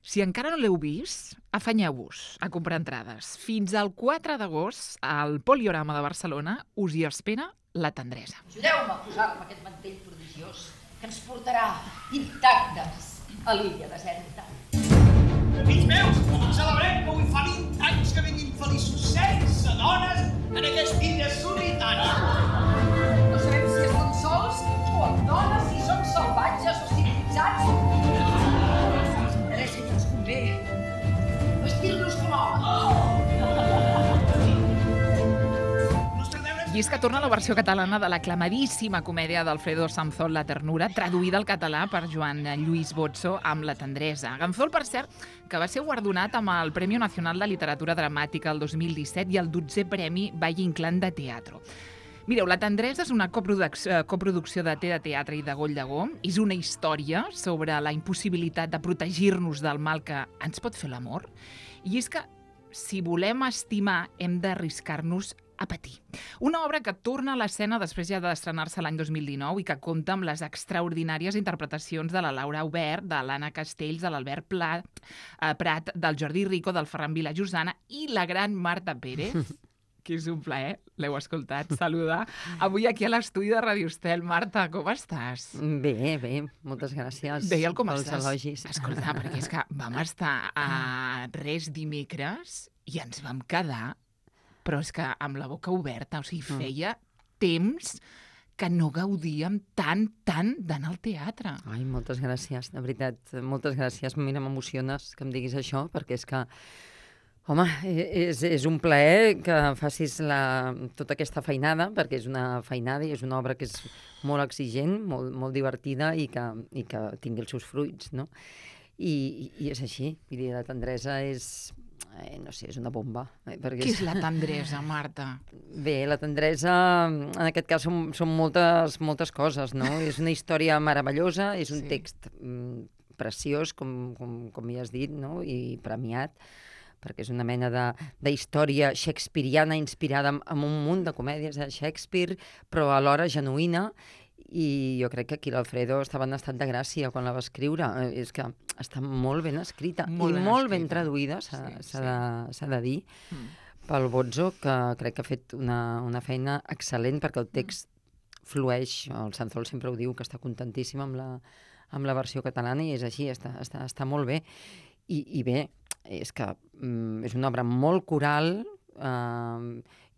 Si encara no l'heu vist, afanyeu-vos a comprar entrades. Fins al 4 d'agost, al Poliorama de Barcelona, us hi espera La tendresa. Ajudeu-me a posar-me aquest mantell prodigiós que ens portarà intactes a l'illa deserta. Fills meus, celebrem que avui fa 20 anys que vivim feliços sense dones en aquesta illa solitària. No sabem si estem sols o amb dones, si som salvatges o civilitzats. Interessa que ens convé vestir-nos com homes. I és que torna la versió catalana de l'aclamadíssima comèdia d'Alfredo Sanzol, La ternura, traduïda al català per Joan Lluís Bozzo amb La tendresa. Ganzol, per cert, que va ser guardonat amb el Premi Nacional de Literatura Dramàtica el 2017 i el 12è Premi Valle Inclán de Teatro. Mireu, La tendresa és una coproducció de Té de Teatre i de Goll Llegó. És una història sobre la impossibilitat de protegir-nos del mal que ens pot fer l'amor. I és que, si volem estimar, hem d'arriscar-nos a patir. Una obra que torna a l'escena després ja d'estrenar-se l'any 2019 i que compta amb les extraordinàries interpretacions de la Laura Aubert, de l'Anna Castells, de l'Albert Prat, del Jordi Rico, del Ferran Vilajosana i la gran Marta Pérez, que és un plaer, l'heu escoltat, saludar. Avui aquí a l'estudi de Radio Estel. Marta, com estàs? Bé, moltes gràcies. Deia'l com pels estàs. elogis. Escolta, perquè és que vam estar a res dimecres i ens vam quedar, però és que amb la boca oberta, o sigui, feia temps que no gaudíem tant d'anar al teatre. Ai, moltes gràcies, de veritat, moltes gràcies. Mira, m'emociones que em diguis això, perquè és que, home, és un plaer que facis tota aquesta feinada, perquè és una feinada i és una obra que és molt exigent, molt divertida i que tingui els seus fruits, no? I és així, vull dir, La tendresa és... no sé, és una bomba. Què és La tendresa, Marta? Bé, La tendresa, en aquest cas, són moltes coses, no? És una història meravellosa, és un text preciós, com ja has dit, no? I premiat, perquè és una mena d'història shakespeariana inspirada en un munt de comèdies de Shakespeare, però alhora genuïna, i jo crec que aquí l'Alfredo estava en estat de gràcia quan la va escriure. És que està molt ben escrita i molt ben traduïda, s'ha de dir, pel Bozzo, que crec que ha fet una feina excel·lent, perquè el text flueix. El Sanzol sempre ho diu, que està contentíssim amb la versió catalana, i és així, està molt bé. I bé, és que és una obra molt coral,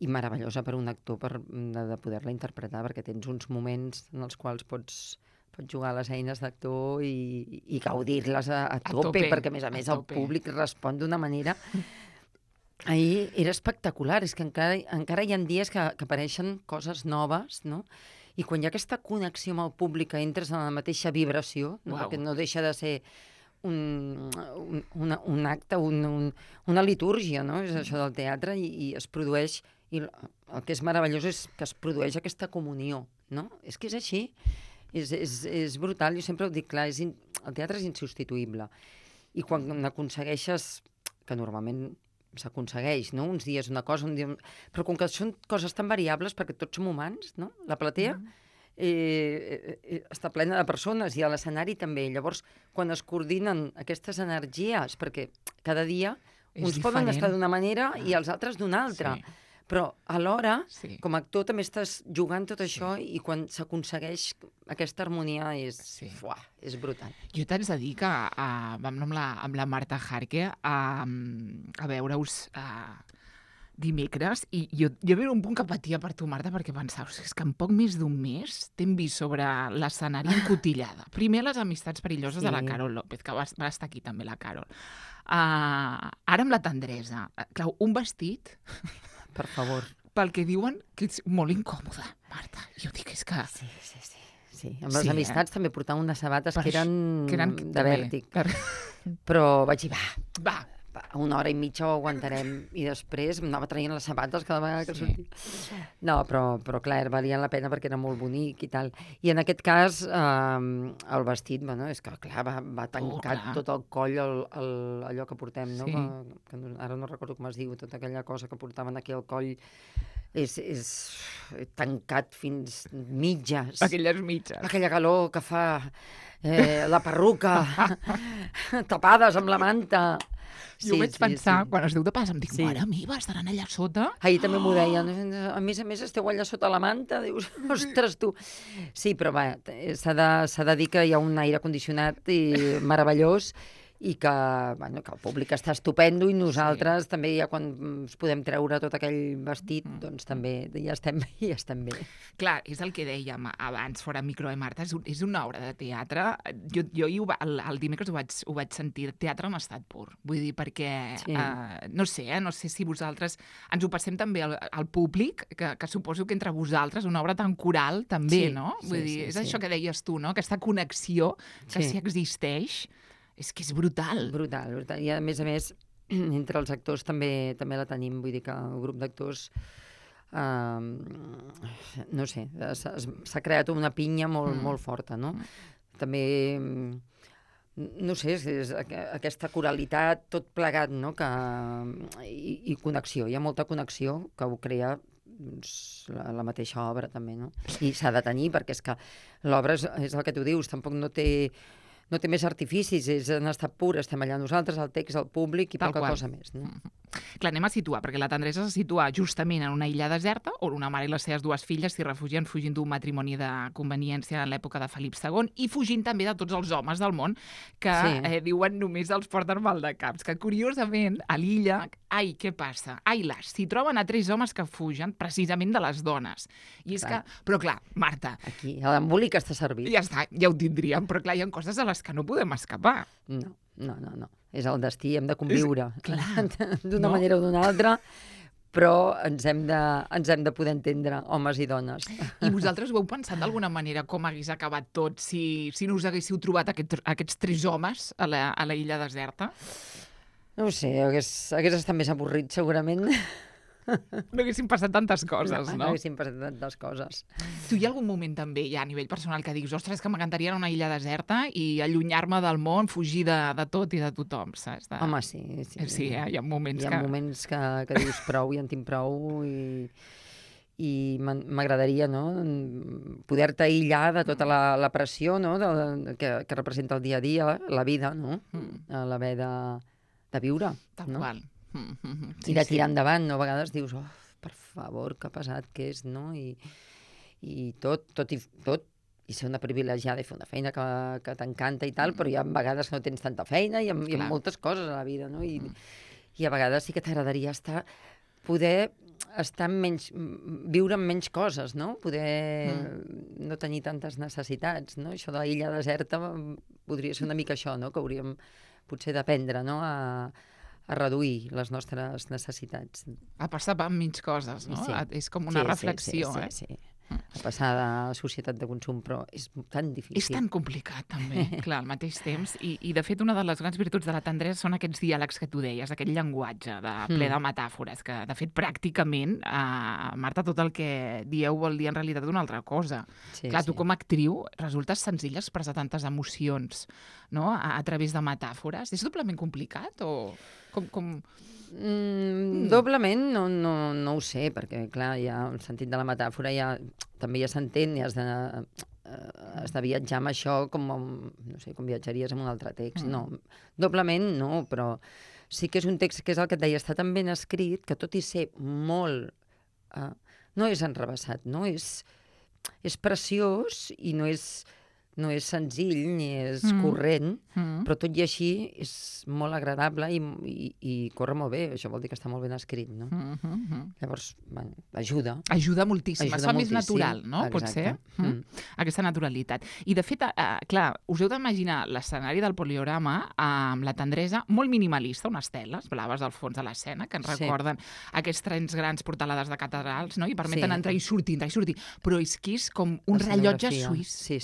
i meravellosa per un actor de poder-la interpretar, perquè tens uns moments en els quals pots jugar a les eines d'actor i gaudir-les a tope, perquè a més el públic respon d'una manera... Ahir era espectacular, és que encara hi ha dies que apareixen coses noves, no? I quan hi ha aquesta connexió amb el públic, que entres en la mateixa vibració, no? Perquè no deixa de ser un acte, una litúrgia, no? És això del teatre, i es produeix... I el que és meravellós és que es produeix aquesta comunió, no? És que és així, és brutal. Jo sempre ho dic, clar, el teatre és insubstituïble. I quan n'aconsegueixes, que normalment s'aconsegueix, no? Uns dies una cosa, un dia... Però com que són coses tan variables, perquè tots som humans, no? La platea està plena de persones, i a l'escenari també. Llavors, quan es coordinen aquestes energies, perquè cada dia uns poden estar d'una manera i els altres d'una altra, però alhora, com a actor, també estàs jugant tot això, i quan s'aconsegueix aquesta harmonia és brutal. Jo t'haig de dir que vam anar amb la Marta Jarque a veure-us dimecres, i jo era un punt que patia per tu, Marta, perquè pensava, és que en poc més d'un mes t'hem vist sobre l'escenari encotillada. Primer les amistats perilloses de la Carol López, que va estar aquí també la Carol. Ara amb La tendresa. Clar, un vestit... Per favor. Pel que diuen que és molt incòmode, Marta. Jo dic, és que... Sí. Amb les amistats també portàvem unes sabates que eren de vèrtic. Però vaig dir, va, una hora i mitja ho aguantarem, i després em anava traient les sabates cada vegada que sortia. No, però clar, valien la pena perquè era molt bonic i tal. I en aquest cas, el vestit, bueno, és que clar, va tancat tot el coll, allò que portem, no? Que ara no recordo com es diu, tota aquella cosa que portaven aquí al coll, és tancat fins mitges. Aquelles mitges. Aquella calor que fa la perruca, tapades amb la manta. Jo vaig pensar, quan es diu de pas, em dic, mare meva, estaran allà sota? Ahir també m'ho deien. A més, esteu allà sota la manta? Dius, ostres, tu. Sí, però va, s'ha de dir que hi ha un aire condicionat i meravellós i que el públic està estupendo i nosaltres també ja quan ens podem treure tot aquell vestit, doncs també ja estem bé. Clar, és el que dèiem abans, fora micro, Marta, és una obra de teatre. Jo el dimecres ho vaig sentir, teatre en estat pur. Vull dir, perquè, no sé si vosaltres ens ho passem també al públic, que suposo que entre vosaltres, una obra tan coral també, no? Vull dir, és això que deies tu, no? Aquesta connexió que sí existeix. És que és brutal. Brutal. I a més, entre els actors també la tenim. Vull dir que el grup d'actors, no sé, s'ha creat una pinya molt forta, no? També, no sé, és aquesta coralitat, tot plegat, no? I connexió. Hi ha molta connexió que ho crea la mateixa obra, també, no? I s'ha de tenir, perquè és que l'obra és el que tu dius, tampoc no té més artificis, és en estat pur, estem allà nosaltres, el text, el públic i poca cosa més. No? Clar, anem a situar, perquè la tendresa se situa justament en una illa deserta, on una mare i les seves dues filles s'hi refugien fugint d'un matrimoni de conveniència en l'època de Felip II i fugint també de tots els homes del món que diuen només els porten mal de caps. Que curiosament, a l'illa, què passa? S'hi troben a 3 homes que fugen precisament de les dones. I és que, però clar, Marta... Aquí, l'embolic està servit. Ja està, ja ho tindríem, però clar, hi ha coses a les que no podem escapar. No. És el destí, hem de conviure. D'una manera o d'una altra, però ens hem de poder entendre, homes i dones. I vosaltres ho heu pensat d'alguna manera com hagués acabat tot si no us haguéssiu trobat aquests 3 homes a la illa deserta? No ho sé, hagués estat més avorrit, segurament. No haguessin passat tantes coses, no? No haguessin passat tantes coses. Tu hi ha algun moment també, ja a nivell personal, que dius, ostres, que m'encantaria anar a una illa deserta i allunyar-me del món, fugir de tot i de tothom, saps? Home, sí. Sí, hi ha moments que... Hi ha moments que dius prou, ja en tinc prou i m'agradaria, no?, poder-te aïllar de tota la pressió, no?, que representa el dia a dia, la vida, no?, l'haver de viure. Tal qual. I de tirar endavant, no? A vegades dius, per favor, que pesat que és, no? I tot, i ser una privilegiada i fer una feina que t'encanta i tal, però hi ha vegades que no tens tanta feina i hi ha moltes coses a la vida, no? I a vegades sí que t'agradaria poder estar viure amb menys coses, no? Poder no tenir tantes necessitats, no? Això de l'illa deserta podria ser una mica això, no? Que hauríem potser d'aprendre, no?, a reduir les nostres necessitats. A passar per menys coses, no? Sí. És com una reflexió, Sí. A passar de la societat de consum, però és tan difícil. És tan complicat, també, clar, al mateix temps. I, de fet, una de les grans virtuts de la tendresa són aquests diàlegs que tu deies, aquest llenguatge ple de metàfores, que, de fet, pràcticament, Marta, tot el que dieu vol dir en realitat una altra cosa. Clar, tu com a actriu resultes senzill expressar tantes emocions, no?, a través de metàfores. És doblement complicat o com... Doblement no ho sé, perquè clar, ja el sentit de la metàfora també ja s'entén i has de viatjar amb això no sé, com viatjaries amb un altre text. No, doblement no, però sí que és un text que és el que et deia, està tan ben escrit que tot i ser molt... no és enrevessat, no? És preciós i no és senzill ni és corrent, però tot i així és molt agradable i corre molt bé. Això vol dir que està molt ben escrit, no? Llavors, ajuda. Ajuda moltíssim. Es fa més natural, no? Potser. Aquesta naturalitat. I, de fet, clar, us heu d'imaginar l'escenari del poliorama amb la tendresa molt minimalista, unes teles blaves al fons de l'escena que ens recorden aquests trens grans portalades de catedrals, no?, i permeten entrar i sortir. Però és que és com un rellotge suís. Sí.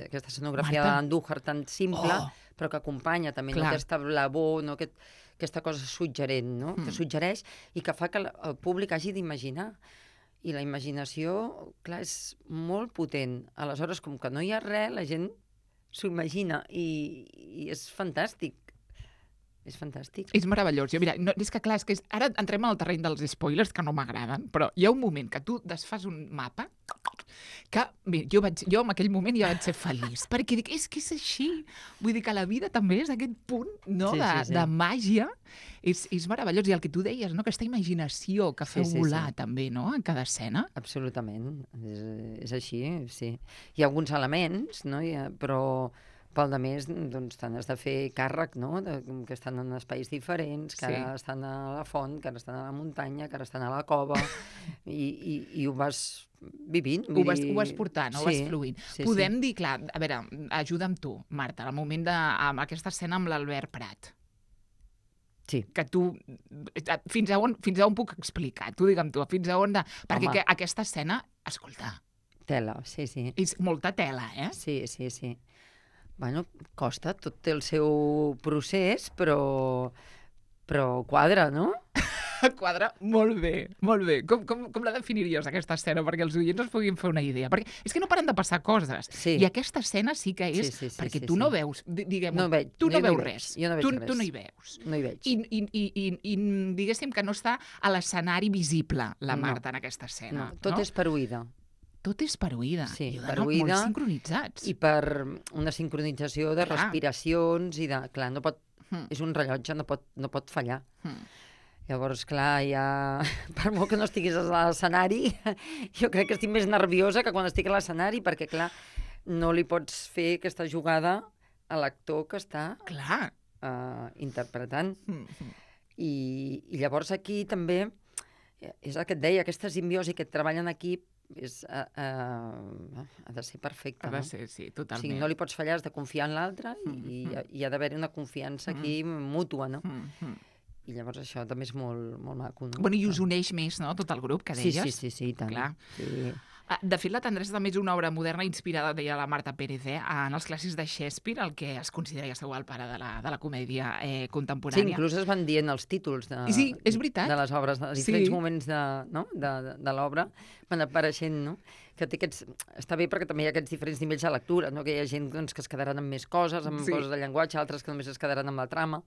Aquesta escenografia d'Andújar tan simple, però que acompanya també aquesta blavor, no? Aquesta cosa suggerent, no? Que suggereix i que fa que el públic hagi d'imaginar. I la imaginació, clar, és molt potent. Aleshores, com que no hi ha res, la gent s'ho imagina i és fantàstic. És fantàstic. És meravellós. Jo, mira, no, és que clar, ara entrem en el terreny dels spoilers, que no m'agraden, però hi ha un moment que tu desfas un mapa que, mira, jo en aquell moment ja vaig ser feliç, perquè dic, és que és així. Vull dir que la vida també és aquest punt, no?, de màgia. És meravellós. I el que tu deies, no?, aquesta imaginació que feu volar també, no?, en cada escena. Absolutament. És així, sí. Hi ha alguns elements, no?, però pel de més, doncs, t'han de fer càrrec, no?, que estan en espais diferents, que ara estan a la font, que ara estan a la muntanya, que ara estan a la cova, i ho vas vivint. Ho vas portant, ho vas fluint. Podem dir, clar, a veure, ajuda'm tu, Marta, al moment amb aquesta escena amb l'Albert Prat. Sí. Que tu, fins a on puc explicar? Tu digue'm tu, fins a on perquè aquesta escena, escolta... Tela, sí. És molta tela, eh? Sí. Bueno, costa, tot té el seu procés, però quadra, no? Quadra molt bé, molt bé. Com la definiries, aquesta escena, perquè els oients es puguin fer una idea? Perquè és que no paren de passar coses. Sí. I aquesta escena sí que és... perquè tu no veus, diguem-ho, tu no veus res. Jo no veig res. Tu no hi veus. No hi veig. I diguéssim que no està a l'escenari visible, la Marta, en aquesta escena. No, tot és per oïda. Tot és per oïda. Sí, I per oïda. Molt sincronitzats. I per una sincronització de respiracions i de... Clar, no pot... És un rellotge, no pot fallar. Llavors, clar, ja... Per molt que no estiguis a l'escenari, jo crec que estic més nerviosa que quan estic a l'escenari, perquè, clar, no li pots fer aquesta jugada a l'actor que està interpretant. I llavors aquí també, és el que et deia, aquesta simbiosi que treballen en equip, ha de ser perfecte. Ha de ser, sí, totalment. O sigui, no li pots fallar, has de confiar en l'altre i ha d'haver-hi una confiança aquí mútua, no? I llavors això també és molt maco, no? Bueno, i us uneix més, no?, tot el grup, que deies. Sí, tant. Clar. Sí. De fet, La tendresa també és una obra moderna inspirada, deia la Marta Pérez, en els clàssics de Shakespeare, el que es considera, ja sabeu, el pare de la comèdia contemporània. Sí, inclús es van dient els títols sí, és veritat. De les obres, de diferents moments de l'obra van apareixent, no? Que està bé perquè també hi ha aquests diferents nivells de lectura, no? Que hi ha gent doncs, que es quedaran amb més coses, amb coses de llenguatge, altres que només es quedaran amb la trama.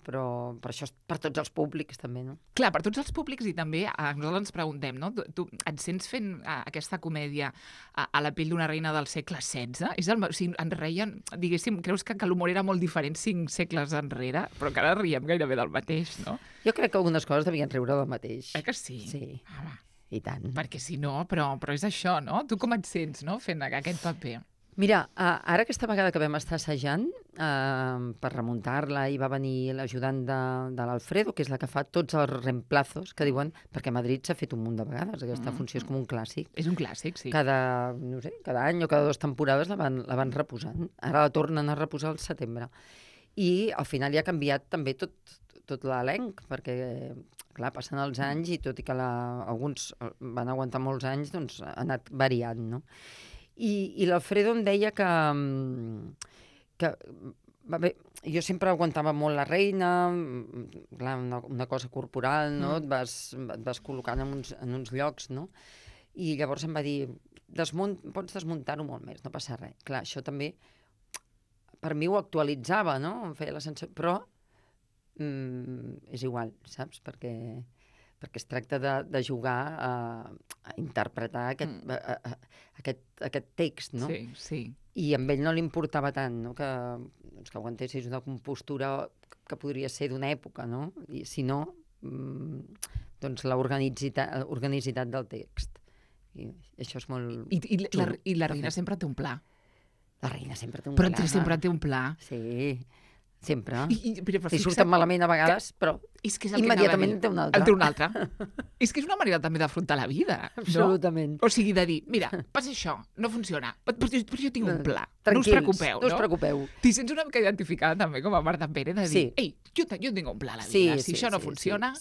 Però per això és per tots els públics, també, no? Clar, per tots els públics, i també nosaltres ens preguntem, no? Tu et sents fent aquesta comèdia a la pell d'una reina del segle XVI? O sigui, ens reien, diguéssim, creus que l'humor era molt diferent 5 segles enrere, però que ara riem gairebé del mateix, no? Jo crec que algunes coses devien riure del mateix. Que sí? Sí, i tant. Perquè si no, però és això, no? Tu com et sents, no?, fent aquest paper? Mira, ara aquesta vegada que vam estar assajant per remuntar-la i va venir l'ajudant de l'Alfredo, que és la que fa tots els reemplazos, que diuen, perquè a Madrid s'ha fet un munt de vegades, aquesta funció és com un clàssic. És un clàssic, sí. Cada any o cada 2 temporades la van reposant. Ara la tornen a reposar al setembre. I al final hi ha canviat també tot l'elenc, perquè, clar, passen els anys i tot i que alguns van aguantar molts anys, doncs ha anat variant, no? I l'Alfredo em deia que jo sempre aguantava molt la reina, clar, una cosa corporal, no? Et vas col·locant en uns llocs, no? I llavors em va dir, pots desmuntar-ho molt més, no passa res. Clar, això també, per mi ho actualitzava, no? Em feia la sensació, però és igual, saps? Perquè es tracta de jugar a interpretar aquest text, no? Sí. I amb ell no li importava tant, no? Que aguantessis una compostura que podria ser d'una època, no? I si no, doncs l'organicitat del text. I això és molt xulo. I la reina sempre té un pla. La reina sempre té un pla. Però sempre té un pla. Sí, sempre. I surten malament a vegades, però immediatament en té un altre. En té un altre. És que és una manera també d'afrontar la vida. Absolutament. O sigui, de dir, mira, passa això, no funciona, però jo tinc un pla. Tranquils, no us preocupeu. T'hi sents una mica identificada també com a Marta Pérez, de dir, ei, jo tinc un pla a la vida, si això no funciona...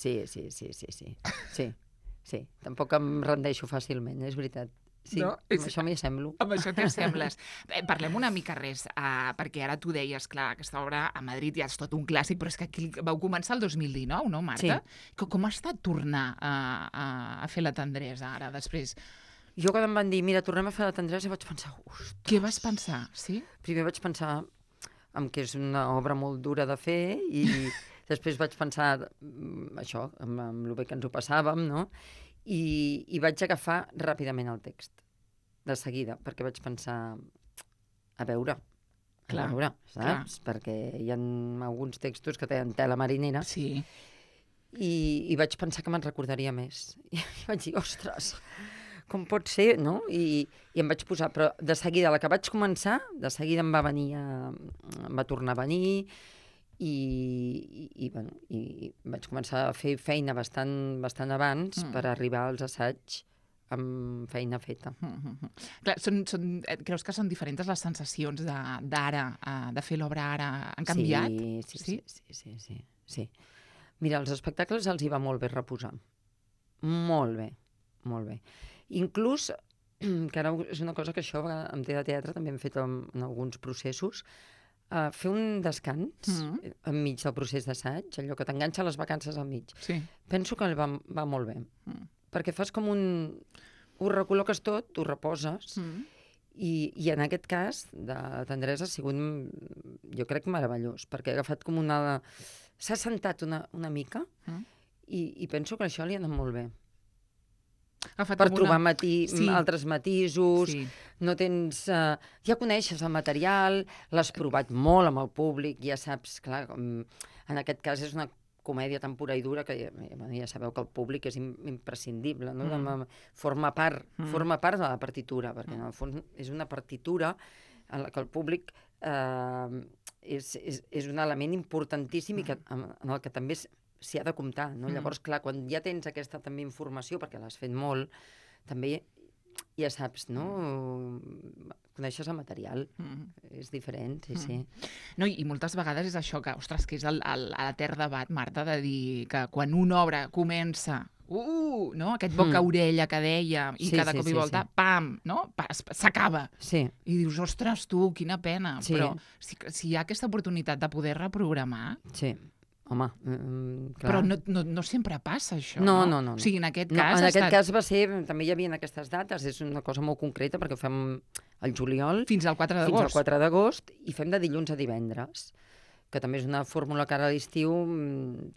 Sí, tampoc em rendeixo fàcilment, és veritat. Sí, no? Amb això m'hi assemblo. Amb això t'hi assembles. Parlem una mica perquè ara tu deies, clar, aquesta obra a Madrid ja és tot un clàssic, però és que aquí vau començar el 2019, no, Marta? Sí. Com ha estat tornar a fer La tendresa ara, després? Jo quan em van dir, mira, tornem a fer La tendresa, vaig pensar, Què vas pensar, sí? Primer vaig pensar, que és una obra molt dura de fer, i després vaig pensar això, amb el bé que ens ho passàvem, no? I vaig agafar ràpidament el text, de seguida, perquè vaig pensar, a veure, saps? Clar. Perquè hi ha alguns textos que tenen tela marinera, Sí. i vaig pensar que me'n recordaria més. I vaig dir, ostres, com pot ser, no? I em vaig posar, però de seguida, la que vaig començar, de seguida em va tornar a venir, i vaig començar a fer feina bastant abans per arribar als assaigs amb feina feta. Clar, creus que són diferents les sensacions d'ara, de fer l'obra ara? Han canviat? Sí. Mira, als espectacles els hi va molt bé reposar. Molt bé. Inclús, que ara és una cosa que això amb teatre també hem fet en alguns processos, fer un descans enmig del procés d'assaig, allò que t'enganxa les vacances al mig. Sí. Penso que va molt bé. Perquè fas com ho recol·loques tot, ho reposes, i en aquest cas de tendresa ha sigut, jo crec, meravellós, perquè ha agafat com s'ha sentat una mica, i penso que això li ha anat molt bé. Per trobar altres matisos, no tens... Ja coneixes el material, l'has provat molt amb el públic, ja saps, clar, en aquest cas és una comèdia tan pura i dura que ja sabeu que el públic és imprescindible, no? Forma part de la partitura, perquè en el fons és una partitura en la que el públic és un element importantíssim i en el que també s'hi ha de comptar, no? Llavors, clar, quan ja tens aquesta també informació, perquè l'has fet molt, també ja saps, no? Coneixes el material, és diferent, sí. No, i moltes vegades és això, que, ostres, que és l'etern debat, Marta, de dir que quan una obra comença, no? Aquest boca-orella que deia, i cada cop i volta, pam, no? S'acaba. Sí. I dius, ostres, tu, quina pena. Però si hi ha aquesta oportunitat de poder reprogramar... Sí. Home, clar. Però no sempre passa, això, no? O sigui, en aquest cas... En aquest cas va ser... També hi havia aquestes dates, és una cosa molt concreta, perquè ho fem al juliol. Fins al 4 d'agost. Fins al 4 d'agost, i fem de dilluns a divendres, que també és una fórmula que ara a l'estiu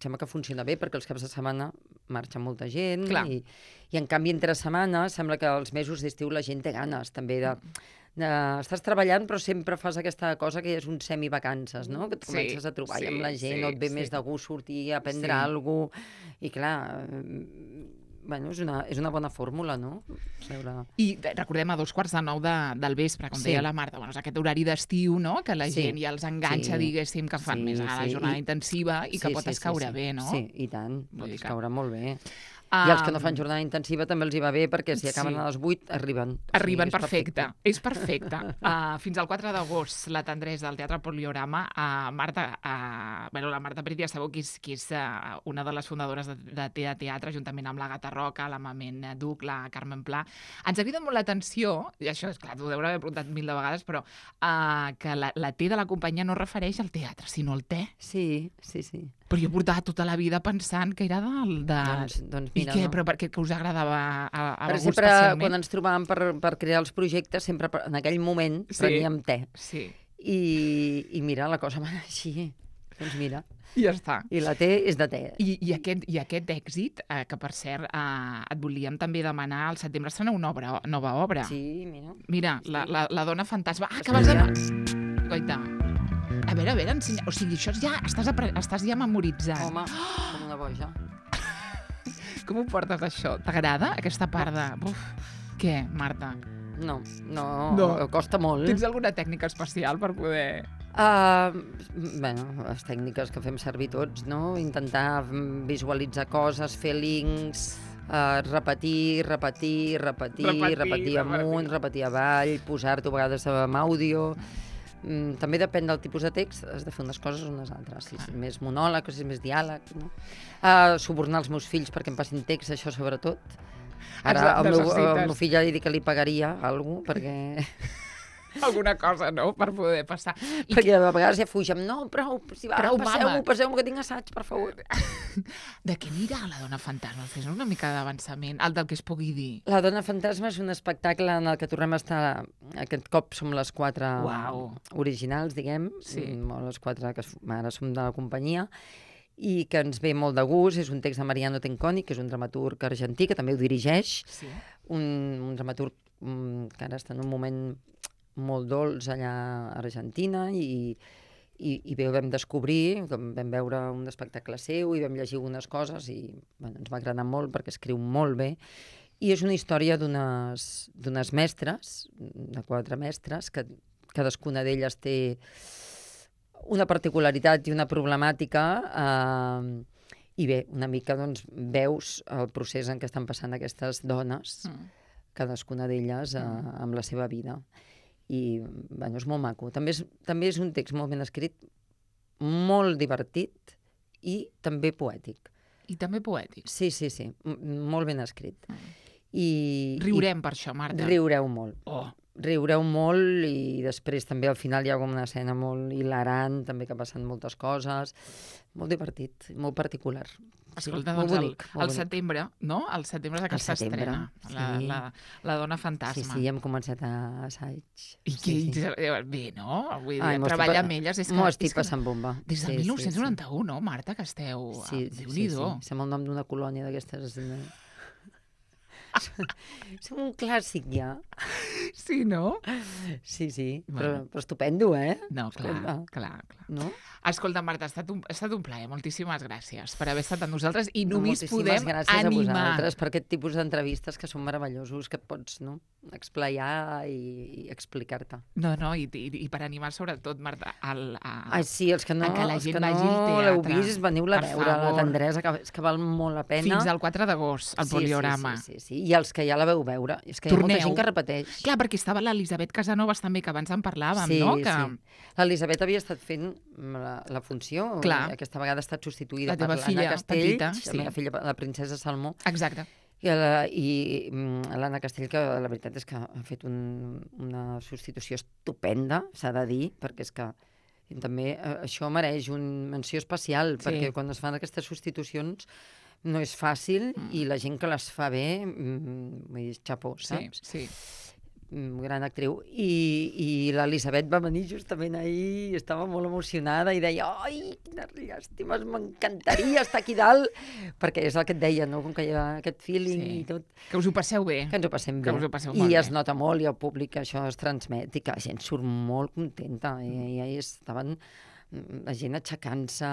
sembla que funciona bé, perquè els caps de setmana marxa molta gent, i en canvi entre setmana sembla que els mesos d'estiu la gent té ganes també estàs treballant, però sempre fas aquesta cosa que és un semivacances, no? Que et comences a trobar amb la gent, o et ve més de gust sortir a prendre alguna cosa, i clar, bueno, és una bona fórmula, no? I recordem a 8:45 del vespre, com deia la Marta, és aquest horari d'estiu, no? Que la gent ja els enganxa, diguéssim, que fan més a la jornada intensiva i que pot escaure bé, no? Sí, i tant, pot escaure molt bé. I els que no fan jornada intensiva també els hi va bé, perquè si acaben a les 8 arriben. Arriben, perfecte. És perfecte. Fins al 4 d'agost, la tendresa del Teatre Poliorama. Marta, la Marta Prit ja sabeu que és una de les fundadores de Teatre, juntament amb la Gata Roca, la Mament Duc, la Carmen Pla. Ens ha cridat molt l'atenció, i això és clar, t'ho deurà haver preguntat 1000 de vegades, però que la T de la companyia no es refereix al teatre, sinó al te. Sí. Però jo portava tota la vida pensant que era Doncs mira, I què? No? Però per què us agradava a algú sempre, especialment? Quan ens trobàvem per crear els projectes, sempre en aquell moment preníem te. Sí. I mira, la cosa va anar així. Doncs mira. I ja està. I la te és de te. I aquest èxit, que per cert et volíem també demanar, al setembre estrena una nova obra. Sí, mira. Mira, la dona fantasma. Que vas de... Goita. A veure, ensenya... O sigui, això ja estàs ja memoritzant. Home, com una boja. Com ho portes, això? T'agrada, aquesta part de... Què, Marta? No, costa molt. Tens alguna tècnica especial per poder... Les tècniques que fem servir tots, no? Intentar visualitzar coses, fer links, repetir amunt, repetir avall, posar-t'ho a vegades amb àudio... També depèn del tipus de text, has de fer unes coses o unes altres, si és més monòleg o si és més diàleg, no? Subornar els meus fills perquè em passin text, això sobretot. Ara al meu fill ja li dic que li pagaria alguna cosa, perquè alguna cosa, no?, per poder passar. Perquè a vegades ja fugem. No, prou, si va, Prou, mama. passeu-me, que tinc assaig, per favor. De què anirà La dona fantasma? Fes una mica d'avançament, el del que es pugui dir. La dona fantasma és un espectacle en el que tornem a estar... Aquest cop som les 4 Uau. originals, diguem, Sí. o les 4 que ara som de la companyia, i que ens ve molt de gust. És un text de Mariano Tenconi, que és un dramaturg argentí, que també ho dirigeix, Sí. un dramaturg que ara està en un moment molt dolç allà a Argentina, i bé, ho vam descobrir, vam veure un espectacle seu i vam llegir algunes coses i bueno, ens va agradar molt perquè escriu molt bé. I és una història d'unes mestres, de 4 mestres, que cadascuna d'elles té una particularitat i una problemàtica, i bé, una mica doncs, veus el procés en què estan passant aquestes dones, cadascuna d'elles amb la seva vida. I bueno, és molt maco. També és un text molt ben escrit, molt divertit i també poètic. I també poètic. Sí, molt ben escrit. Riurem per això, Marta. Riureu molt. Oh. Riureu molt i després també al final hi ha com una escena molt hilarant, també que passen moltes coses. Molt divertit, molt particular. Escolta, molt doncs bonic, molt al bonic. setembre, no? Al setembre és que s'estrena sí. la dona fantasma. Sí, hem començat a assaig. I Sí, sí. bé, no? Vull dir, Ai, treballar amb elles és que... M'ho estic és que passant bomba. Des del 1991, no, Marta, que esteu... Sí, Déu-n'hi-do. Som el nom d'una colònia d'aquestes... Som un clàssic, ja. Sí, no? Sí, Bueno. però estupendo, eh? No, Escolta. clar. No? Escolta, Marta, ha estat un plaer. Moltíssimes gràcies per haver estat amb nosaltres i només Moltíssimes podem gràcies a animar. vosaltres per aquest tipus d'entrevistes que són meravellosos, que et pots explayar i explicar-te. No, i per animar sobretot, Marta, Ai, sí, els que no, a que la els gent que vagi al no l'heu teatre. vist, veniu-la a Per veure, la favor. tendresa, que és que val molt la pena. Fins al 4 d'agost, al Poliorama. Sí. I els que ja la veu veure. És que hi ha molta Torneu. gent que repeteix. Clar, perquè estava l'Elisabet Casanovas també, que abans en parlàvem, Sí, no? Que... sí. L'Elisabet havia estat fent la funció, Clar. aquesta vegada ha estat substituïda La teva per filla l'Anna Castells, petita, la sí. meva filla, la princesa Salmó, Exacte. i l'Anna Castell, que la veritat és que ha fet una substitució estupenda, s'ha de dir, perquè és que també això mereix una menció especial, perquè quan es fan aquestes substitucions no és fàcil i la gent que les fa bé, vull dir, xapó, saps? Sí. Gran actriu. I l'Elisabet va venir justament ahir, estava molt emocionada i deia, ai, quines llàstimes, m'encantaria estar aquí dalt, perquè és el que et deia, no? Com que hi ha aquest feeling i tot. Que us ho passeu bé. Que ens ho passem Que bé. us ho passeu molt I bé. es nota molt, i el públic això es transmet, i que la gent surt molt contenta. I ahir estaven la gent aixecant-se,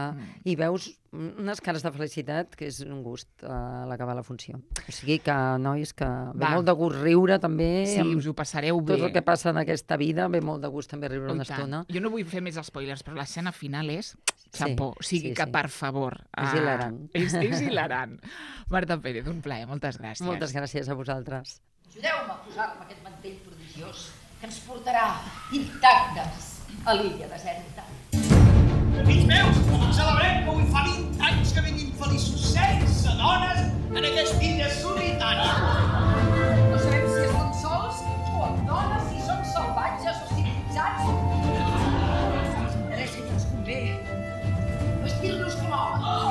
i veus unes cares de felicitat que és un gust a l'acabar la funció. O sigui que, nois, que ve molt de gust riure també. Sí, us ho passareu bé. Tot el que passa en aquesta vida, ve molt de gust també riure una estona. Jo no vull fer més spoilers, però l'escena final és xapó. O sigui que, per favor... És hilarant. És hilarant. Marta Pérez, un plaer. Moltes gràcies. Moltes gràcies a vosaltres. Ajudeu-me a posar-me aquest mantell prodigiós que ens portarà intactes a l'illa deserta. Fills meus, celebrem que avui fa 20 anys que vinguin feliços sense dones en aquesta illa solitària. No sabem si estan sols o amb dones, si són salvatges o civilitzats. Els interessa i ens convé vestir-nos com homes.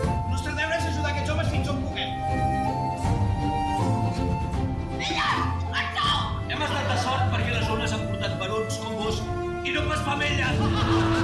El nostre deure és ajudar aquests homes fins on puguem. Hem estat de sort perquè les ones han portat barons com vos i no pas femelles.